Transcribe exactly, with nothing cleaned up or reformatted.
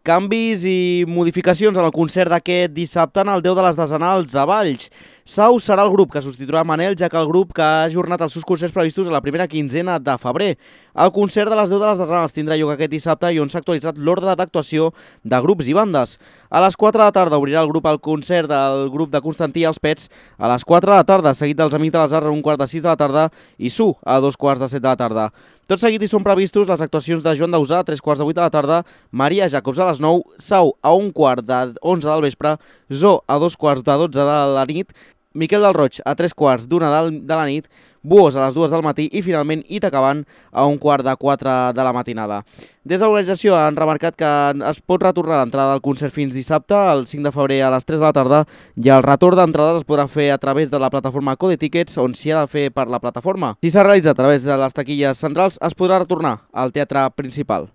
Canvis i modificacions en el concert d'aquest dissabte en el Déu de les Desenals a Valls. Sau serà el grup que substituirà Manel, ja que el grup que ha ajornat els seus concerts previstos a la primera quinzena de febrer. El concert de les deu de les Desenals tindrà lloc aquest dissabte i on s'ha actualitzat l'ordre d'actuació de grups i bandes. A les quatre de la tarda obrirà el grup el concert del grup de Constantí i els Pets a les quatre de la tarda, seguit dels Amics de les Arts a un quart de sis de la tarda i Su a dos quarts de set de la tarda. Tot seguit hi són previstos les actuacions de Joan Dausà a tres quarts de vuit de la tarda, Maria Jacobs a les nou, Sau a un quart de onze del vespre, Zo a dos quarts de dotze de la nit, Miquel del Roig a tres quarts d'una de la nit, Buos a les dues del matí i finalment Itacabant a un quart de quatre de la matinada. Des de l'organització han remarcat que es pot retornar l'entrada del concert fins dissabte, el cinc de febrer a les tres de la tarda, i el retorn d'entrades es podrà fer a través de la plataforma Code Tickets, on s'hi ha de fer per la plataforma. Si s'ha realitzat a través de les taquilles centrals, es podrà retornar al teatre principal.